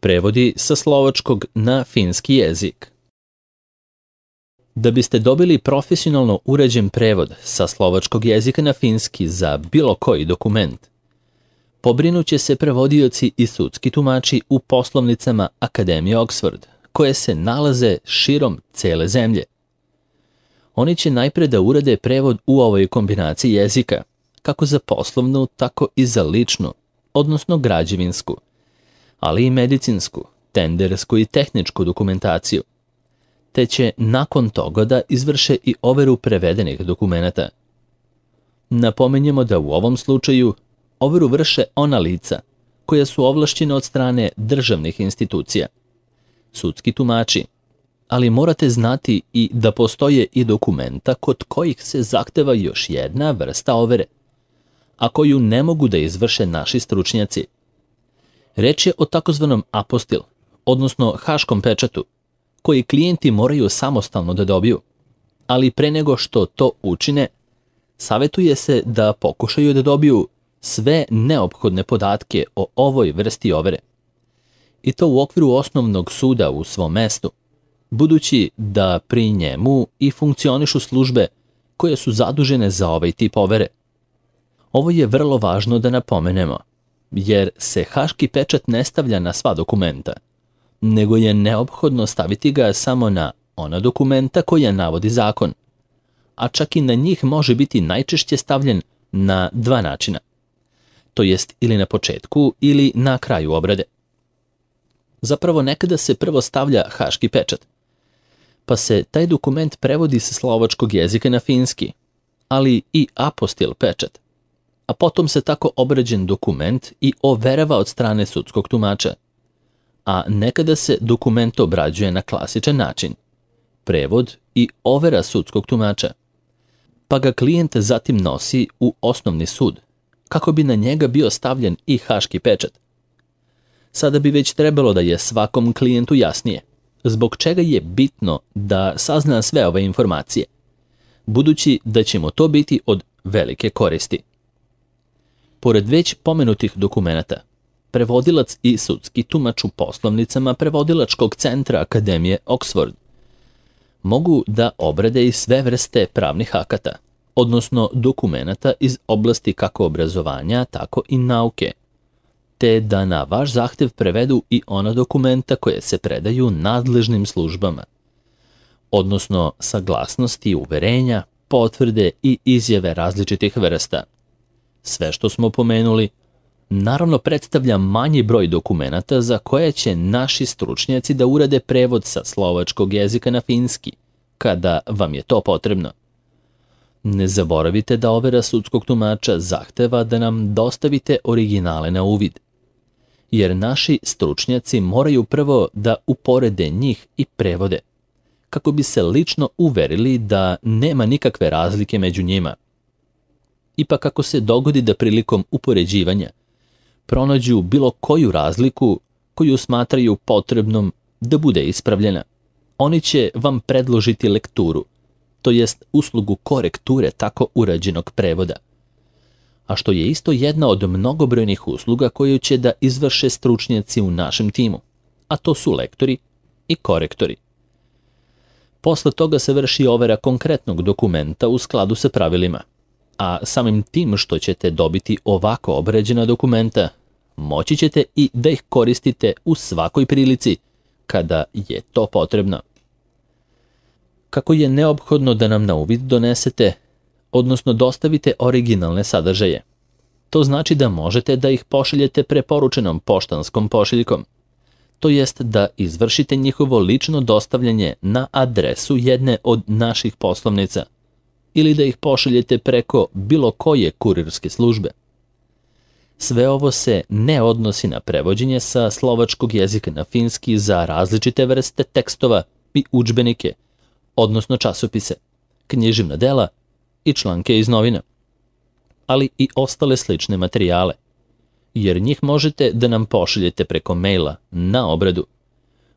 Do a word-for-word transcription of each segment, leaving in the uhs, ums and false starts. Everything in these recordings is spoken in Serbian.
Prevodi sa slovačkog na finski jezik. Da biste dobili profesionalno uređen prevod sa slovačkog jezika na finski za bilo koji dokument, pobrinuće se prevodioci i sudski tumači u poslovnicama Akademije Oxford, koje se nalaze širom cele zemlje. Oni će najpre da urade prevod u ovoj kombinaciji jezika, kako za poslovnu, tako i za ličnu, odnosno građevinsku, ali i medicinsku, tendersku i tehničku dokumentaciju, te će nakon toga da izvrše i overu prevedenih dokumenata. Napominjemo da u ovom slučaju overu vrše ona lica koja su ovlašćena od strane državnih institucija, sudski tumači, ali morate znati i da postoje i dokumenta kod kojih se zahteva još jedna vrsta overe, a koju ne mogu da izvrše naši stručnjaci. Reč je o takozvanom apostil, odnosno haškom pečatu, koji klijenti moraju samostalno da dobiju, ali pre nego što to učine, savetuje se da pokušaju da dobiju sve neophodne podatke o ovoj vrsti overe, i to u okviru osnovnog suda u svom mestu, budući da pri njemu i funkcionišu službe koje su zadužene za ovaj tip overe. Ovo je vrlo važno da napomenemo, jer se haški pečat ne stavlja na sva dokumenta, nego je neophodno staviti ga samo na ona dokumenta koja navodi zakon, a čak i na njih može biti najčešće stavljen na dva načina, to jest ili na početku ili na kraju obrade. Zapravo nekada se prvo stavlja haški pečat, pa se taj dokument prevodi sa slovačkog jezika na finski, ali i apostil pečat, a potom se tako obrađen dokument i overava od strane sudskog tumača, a nekada se dokument obrađuje na klasičan način, prevod i overa sudskog tumača, pa ga klijent zatim nosi u osnovni sud, kako bi na njega bio stavljen i haški pečat. Sada bi već trebalo da je svakom klijentu jasnije zbog čega je bitno da sazna sve ove informacije, budući da će mu to biti od velike koristi. Pored već pomenutih dokumenata, prevodilac i sudski tumač u poslovnicama Prevodilačkog centra Akademije Oxford mogu da obrade i sve vrste pravnih akata, odnosno dokumenata iz oblasti kako obrazovanja, tako i nauke, te da na vaš zahtev prevedu i ona dokumenta koje se predaju nadležnim službama, odnosno saglasnosti, uverenja, potvrde i izjave različitih vrsta. Sve što smo pomenuli, naravno predstavlja manji broj dokumenata za koje će naši stručnjaci da urade prevod sa slovačkog jezika na finski, kada vam je to potrebno. Ne zaboravite da overa sudskog tumača zahteva da nam dostavite originale na uvid, jer naši stručnjaci moraju prvo da uporede njih i prevode, kako bi se lično uverili da nema nikakve razlike među njima. Ipak ako se dogodi da prilikom upoređivanja pronađu bilo koju razliku koju smatraju potrebnom da bude ispravljena, oni će vam predložiti lekturu, to jest uslugu korekture tako urađenog prevoda, a što je isto jedna od mnogobrojnih usluga koju će da izvrše stručnjaci u našem timu, a to su lektori i korektori. Posle toga se vrši overa konkretnog dokumenta u skladu sa pravilima, a samim tim što ćete dobiti ovako obrađena dokumenta, moći ćete i da ih koristite u svakoj prilici kada je to potrebno. Kako je neophodno da nam na uvid donesete, odnosno dostavite originalne sadržaje. To znači da možete da ih pošaljete preporučenom poštanskom pošiljkom, to jest da izvršite njihovo lično dostavljanje na adresu jedne od naših poslovnica ili da ih pošaljete preko bilo koje kurirske službe. Sve ovo se ne odnosi na prevođenje sa slovačkog jezika na finski za različite vrste tekstova i udžbenike, odnosno časopise, književna dela i članke iz novina, ali i ostale slične materijale, jer njih možete da nam pošaljete preko maila na obradu,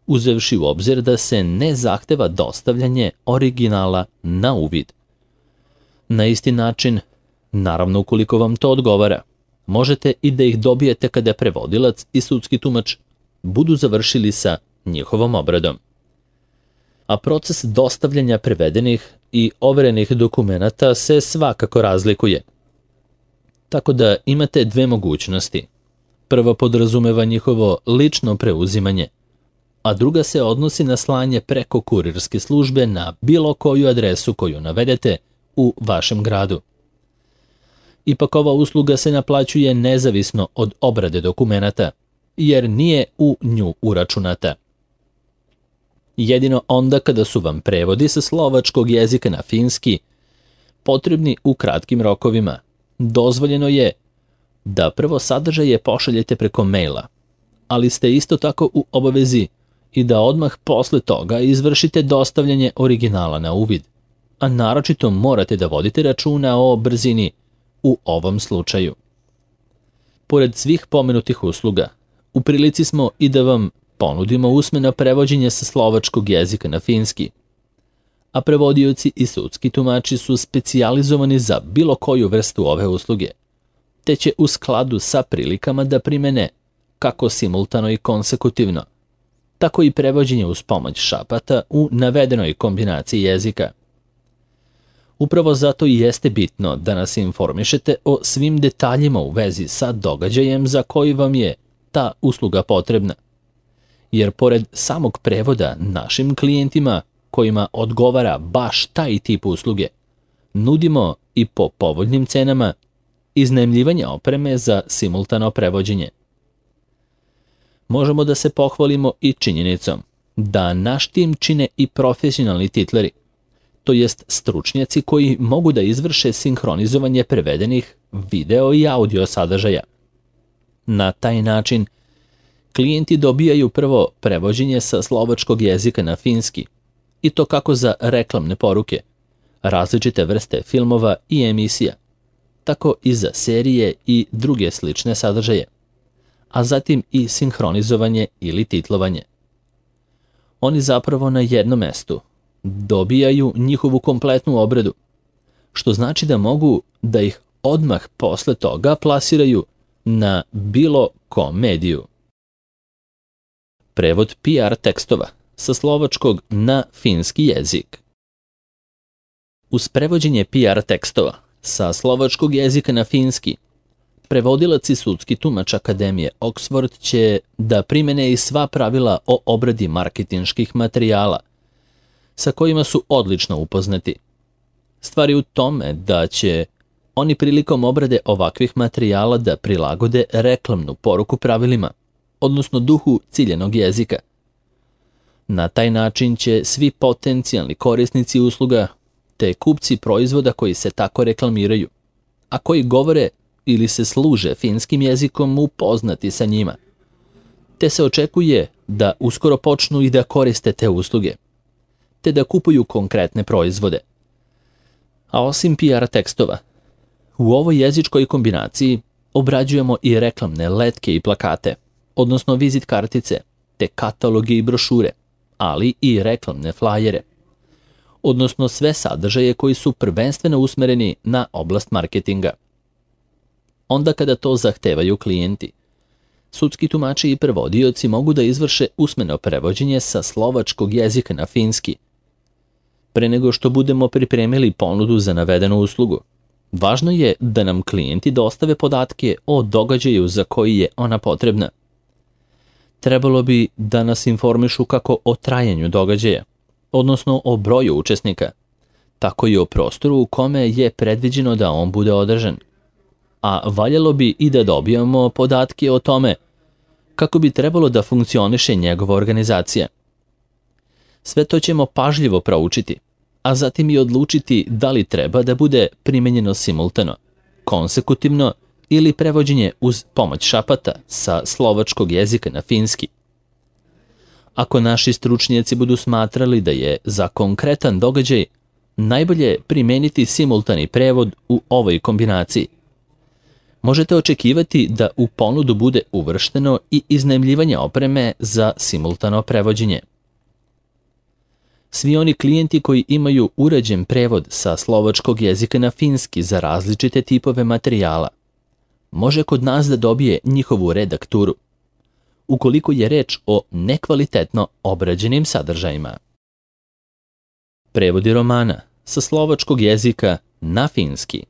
uzevši u obzir da se ne zahteva dostavljanje originala na uvid. Na isti način, naravno ukoliko vam to odgovara, možete i da ih dobijete kada prevodilac i sudski tumač budu završili sa njihovom obradom. A proces dostavljanja prevedenih i overenih dokumenata se svakako razlikuje. Tako da imate dve mogućnosti. Prva podrazumeva njihovo lično preuzimanje, a druga se odnosi na slanje preko kurirske službe na bilo koju adresu koju navedete u vašem gradu. Ipak ova usluga se naplaćuje nezavisno od obrade dokumenata, jer nije u nju uračunata. Jedino onda kada su vam prevodi sa slovačkog jezika na finski potrebni u kratkim rokovima, dozvoljeno je da prvo sadržaje pošaljete preko maila, ali ste isto tako u obavezi i da odmah posle toga izvršite dostavljanje originala na uvid, a naročito morate da vodite računa o brzini u ovom slučaju. Pored svih pomenutih usluga, u prilici smo i da vam ponudimo usmeno prevođenje sa slovačkog jezika na finski, a prevodioci i sudski tumači su specijalizovani za bilo koju vrstu ove usluge, te će u skladu sa prilikama da primene kako simultano i konsekutivno, tako i prevođenje uz pomoć šapata u navedenoj kombinaciji jezika. Upravo zato i jeste bitno da nas informišete o svim detaljima u vezi sa događajem za koji vam je ta usluga potrebna, jer pored samog prevoda našim klijentima kojima odgovara baš taj tip usluge, nudimo i po povoljnim cenama iznajmljivanje opreme za simultano prevođenje. Možemo da se pohvalimo i činjenicom da naš tim čine i profesionalni titleri, to jest stručnjaci koji mogu da izvrše sinhronizovanje prevedenih video i audio sadržaja. Na taj način, klijenti dobijaju prvo prevođenje sa slovačkog jezika na finski, i to kako za reklamne poruke, različite vrste filmova i emisija, tako i za serije i druge slične sadržaje, a zatim i sinhronizovanje ili titlovanje. Oni zapravo na jednom mestu dobijaju njihovu kompletnu obradu, što znači da mogu da ih odmah posle toga plasiraju na bilo kom mediju. Prevod P R tekstova sa slovačkog na finski jezik. Uz prevođenje P R tekstova sa slovačkog jezika na finski, prevodilac i sudski tumač Akademije Oxford će da primene i sva pravila o obradi marketinških materijala, sa kojima su odlično upoznati. Stvar je u tome da će oni prilikom obrade ovakvih materijala da prilagode reklamnu poruku pravilima, odnosno duhu ciljenog jezika. Na taj način će svi potencijalni korisnici usluga te kupci proizvoda koji se tako reklamiraju, a koji govore ili se služe finskim jezikom, upoznati sa njima, te se očekuje da uskoro počnu i da koriste te usluge, te da kupuju konkretne proizvode. A osim P R tekstova, u ovoj jezičkoj kombinaciji obrađujemo i reklamne letke i plakate, odnosno vizit kartice, te kataloge i brošure, ali i reklamne flajere, odnosno sve sadržaje koji su prvenstveno usmereni na oblast marketinga. Onda kada to zahtevaju klijenti, sudski tumači i prevodioci mogu da izvrše usmeno prevođenje sa slovačkog jezika na finski. Pre nego što budemo pripremili ponudu za navedenu uslugu, važno je da nam klijenti dostave podatke o događaju za koji je ona potrebna. Trebalo bi da nas informišu kako o trajanju događaja, odnosno o broju učesnika, tako i o prostoru u kome je predviđeno da on bude održan. A valjalo bi i da dobijamo podatke o tome kako bi trebalo da funkcioniše njegova organizacija. Sve to ćemo pažljivo proučiti, a zatim i odlučiti da li treba da bude primenjeno simultano, konsekutivno ili prevođenje uz pomoć šapata sa slovačkog jezika na finski. Ako naši stručnjaci budu smatrali da je za konkretan događaj najbolje primeniti simultani prevod u ovoj kombinaciji, možete očekivati da u ponudu bude uvršteno i iznajmljivanje opreme za simultano prevođenje. Svi oni klijenti koji imaju uređen prevod sa slovačkog jezika na finski za različite tipove materijala, može kod nas da dobije njihovu redakturu. ukoliko je reč o nekvalitetno obrađenim sadržajima. Prevodi romana sa slovačkog jezika na finski.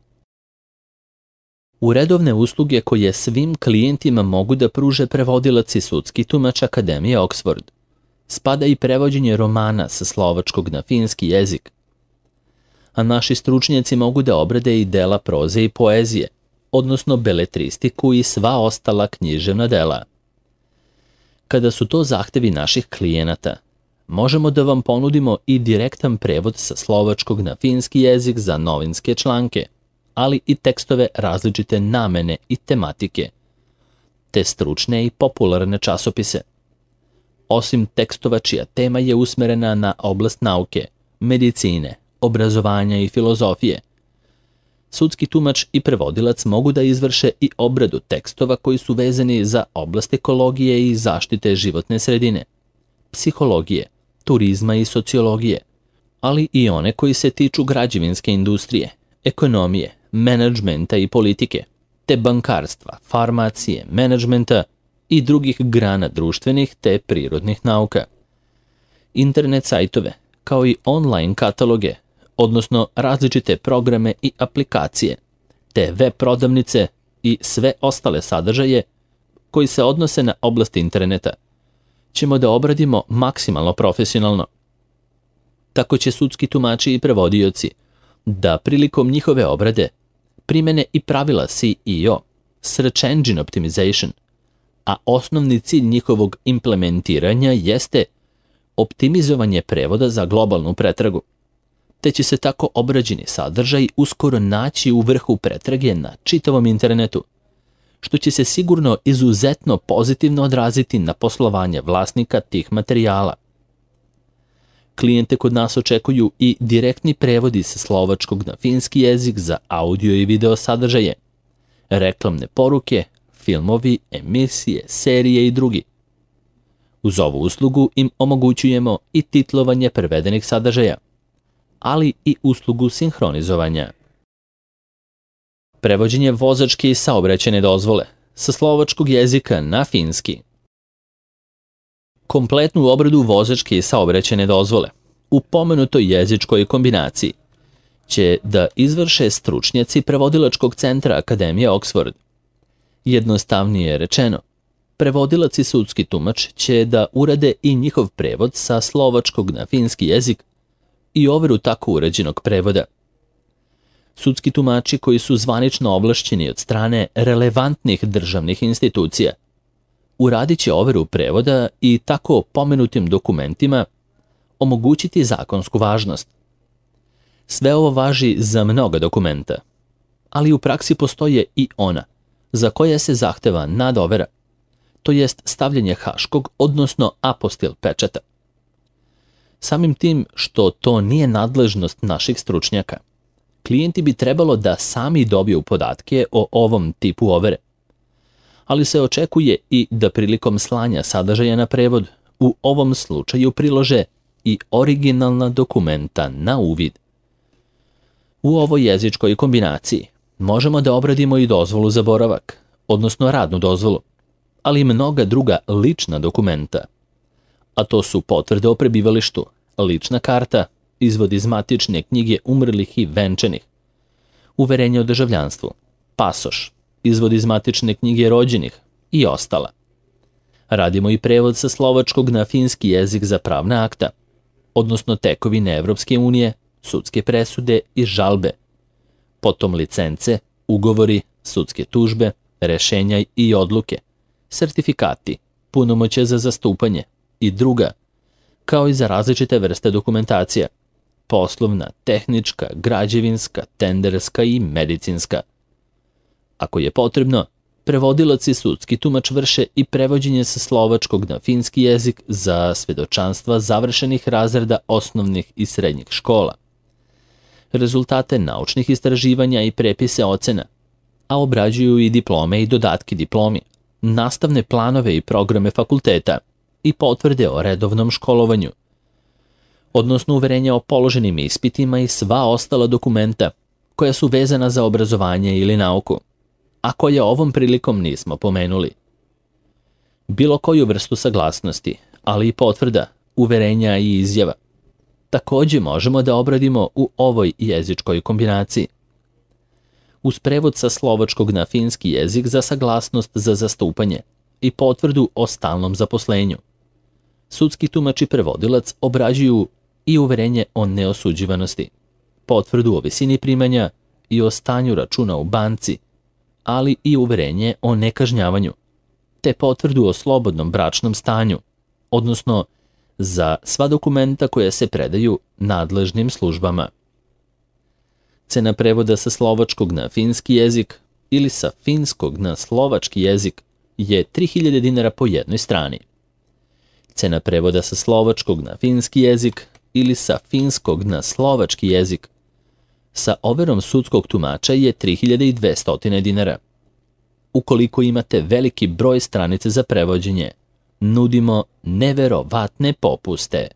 U redovne usluge koje svim klijentima mogu da pruže prevodilac i sudski tumač Akademije Oxford spada i prevođenje romana sa slovačkog na finski jezik, a naši stručnjaci mogu da obrade i dela proze i poezije, odnosno beletristiku i sva ostala književna dela. Kada su to zahtevi naših klijenata, možemo da vam ponudimo i direktan prevod sa slovačkog na finski jezik za novinske članke, ali i tekstove različite namene i tematike, te stručne i popularne časopise. Osim tekstova čija tema je usmerena na oblast nauke, medicine, obrazovanja i filozofije, sudski tumač i prevodilac mogu da izvrše i obradu tekstova koji su vezani za oblast ekologije i zaštite životne sredine, psihologije, turizma i sociologije, ali i one koji se tiču građevinske industrije, ekonomije, menadžmenta i politike, te bankarstva, farmacije, menadžmenta i drugih grana društvenih te prirodnih nauka. Internet sajtove, kao i online kataloge, odnosno različite programe i aplikacije, te web prodavnice i sve ostale sadržaje koji se odnose na oblast interneta, ćemo da obradimo maksimalno profesionalno. Tako će sudski tumači i prevodioci da prilikom njihove obrade primene i pravila S E O, Search Engine Optimization, a osnovni cilj njihovog implementiranja jeste optimizovanje prevoda za globalnu pretragu, te će se tako obrađeni sadržaj uskoro naći u vrhu pretrage na čitavom internetu, što će se sigurno izuzetno pozitivno odraziti na poslovanje vlasnika tih materijala. Klijente kod nas očekuju i direktni prevodi sa slovačkog na finski jezik za audio i video sadržaje, reklamne poruke, filmovi, emisije, serije i drugi. Uz ovu uslugu im omogućujemo i titlovanje prevedenih sadržaja, ali i uslugu sinhronizovanja. Prevođenje vozačke i saobraćajne dozvole sa slovačkog jezika na finski. Kompletnu obradu vozačke i saobraćajne dozvole u pomenutoj jezičkoj kombinaciji će da izvrše stručnjaci prevodilačkog centra Akademije Oxford. Jednostavnije rečeno, prevodilac i sudski tumač će da urade i njihov prevod sa slovačkog na finski jezik i overu tako urađenog prevoda. Sudski tumači koji su zvanično ovlašćeni od strane relevantnih državnih institucija uradit će overu prevoda i tako pomenutim dokumentima omogućiti zakonsku važnost. Sve ovo važi za mnoga dokumenta, ali u praksi postoje i ona za koja se zahteva nadovera, to jest stavljanje haškog, odnosno apostil pečata. Samim tim što to nije nadležnost naših stručnjaka, klijenti bi trebalo da sami dobiju podatke o ovom tipu overe, ali se očekuje i da prilikom slanja sadržaja na prevod u ovom slučaju prilože i originalna dokumenta na uvid. U ovoj jezičkoj kombinaciji možemo da obradimo i dozvolu za boravak, odnosno radnu dozvolu, ali i mnoga druga lična dokumenta, a to su potvrde o prebivalištu, lična karta, izvod iz matične knjige umrlih i venčanih, uverenje o državljanstvu, pasoš, izvod iz matične knjige rođenih i ostala. Radimo i prevod sa slovačkog na finski jezik za pravna akta, odnosno tekovine Evropske unije, sudske presude i žalbe, potom licence, ugovori, sudske tužbe, rešenja i odluke, sertifikati, punomoćje za zastupanje i druga, kao i za različite vrste dokumentacija, poslovna, tehnička, građevinska, tenderska i medicinska. Ako je potrebno, prevodilac i sudski tumač vrše i prevođenje sa slovačkog na finski jezik za svedočanstva završenih razreda osnovnih i srednjih škola, rezultate naučnih istraživanja i prepise ocena, a obrađuju i diplome i dodatke diplomi, nastavne planove i programe fakulteta i potvrde o redovnom školovanju, odnosno uverenja o položenim ispitima i sva ostala dokumenta koja su vezana za obrazovanje ili nauku, a koje ovom prilikom nismo pomenuli. bilo koju vrstu saglasnosti, ali i potvrda, uverenja i izjava. Takođe možemo da obradimo u ovoj jezičkoj kombinaciji. Uz prevod sa slovačkog na finski jezik za saglasnost za zastupanje i potvrdu o stalnom zaposlenju. Sudski tumač i prevodilac obrađuju i uverenje o neosuđivanosti, potvrdu o visini primanja i o stanju računa u banci, ali i uverenje o nekažnjavanju, te potvrdu o slobodnom bračnom stanju, odnosno za sva dokumenta koja se predaju nadležnim službama. Cena prevoda sa slovačkog na finski jezik ili sa finskog na slovački jezik je tri hiljade dinara po jednoj strani. Cena prevoda sa slovačkog na finski jezik ili sa finskog na slovački jezik sa overom sudskog tumača je tri hiljade dvesta dinara. Ukoliko imate veliki broj stranice za prevođenje, nudimo neverovatne popuste.